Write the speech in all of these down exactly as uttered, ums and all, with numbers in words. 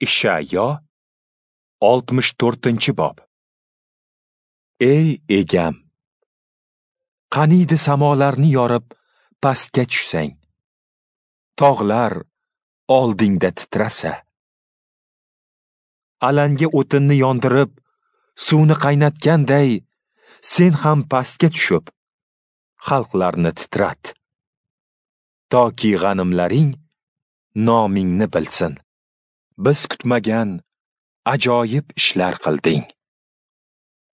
Ishayo oltmish to'rtinchi bob. Ey egam, qaniydi samolarni yorib pastga tushsang, tog'lar oldingda titrasa. Alanga o'tinni yondirib, suvni qaynatganday, sen ham pastga tushib, xalqlarni titrat. Toki g'animlaring nomingni bilsin. Biz kutmagan ajoyib ishlar qilding.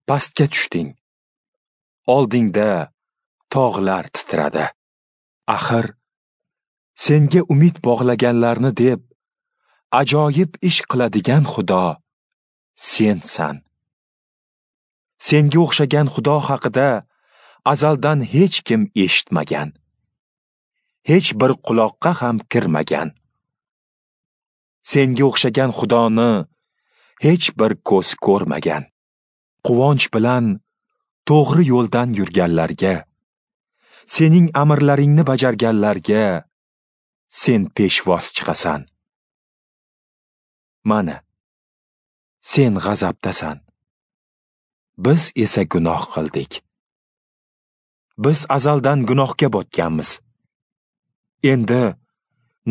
Pastga tushding. Oldingda tog'lar titradi. Axir senga umid bog'laganlarni deb ajoyib ish qiladigan Xudo sensan. Senga o'xshagan Xudo haqida azaldan hech kim eshitmagan. Hech bir quloqqa ham kirmagan. Senga o'xshagan Xudoni hech bir ko'z ko'rmagan. Quvonch bilan to'g'ri yo'ldan yurganlarga, sening amrlaringni bajarganlarga sen peshvoz chiqasan. Mana, sen g'azabdasan. Biz esa gunoh qildik. Biz azaldan gunohga botganmiz. Endi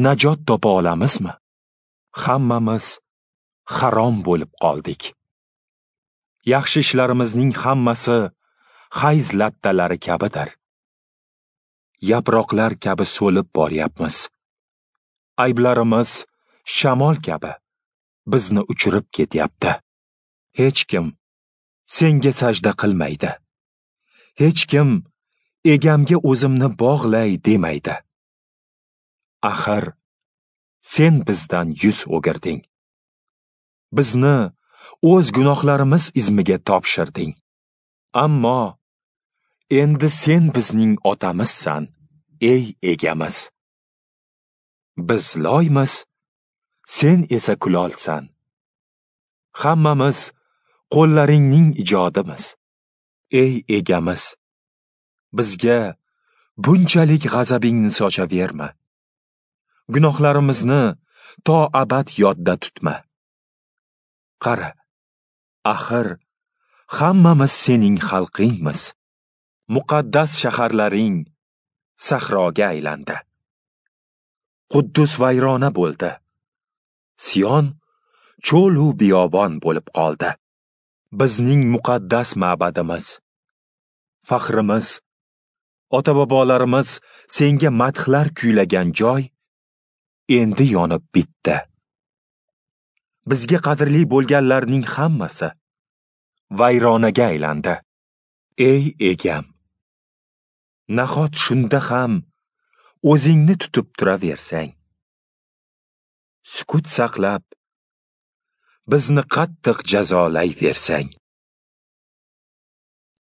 najot topa olamizmi? Hammamiz harom bo'lib qoldik. Yaxshi ishlarimizning hammasi hayz lattalari kabidir. Yaproqlar kabi so'lib boryapmiz. Ayblarimiz shamol kabi bizni uchirib ketyapti. Hech kim senga sajda qilmaydi. Hech kim egamga o'zimni bog'lay demaydi. Axir sen bizdan yuz o'girding. Bizni o'z gunohlarimiz izmiga topshirding. Ammo endi sen bizning otamizsan, ey egamiz. Biz loymiz, sen esa kulolsan. Hammamiz qo'llaringning ijodimiz. Ey egamiz, bizga bunchalik g'azabingni sochaverma. Gunohlarimizni to abad yodda tutma. Qara, axir hammamiz sening xalqingmiz. Muqaddas shaharlaring sahroga aylandi. Quddus vayrona bo'ldi. Sion cho'l u biyobon bo'lib qoldi. Bizning muqaddas ma'badimiz, faxrimiz, ota-bobolarimiz senga madhlar kuylagan joy endi yonib bitdi. Bizga qadrli bo'lganlarning hammasi vayronaga aylandi. Ey egam, nahot shunda ham o'zingni tutib turaversang? Sukut saqlab, bizni qattiq jazolayversang.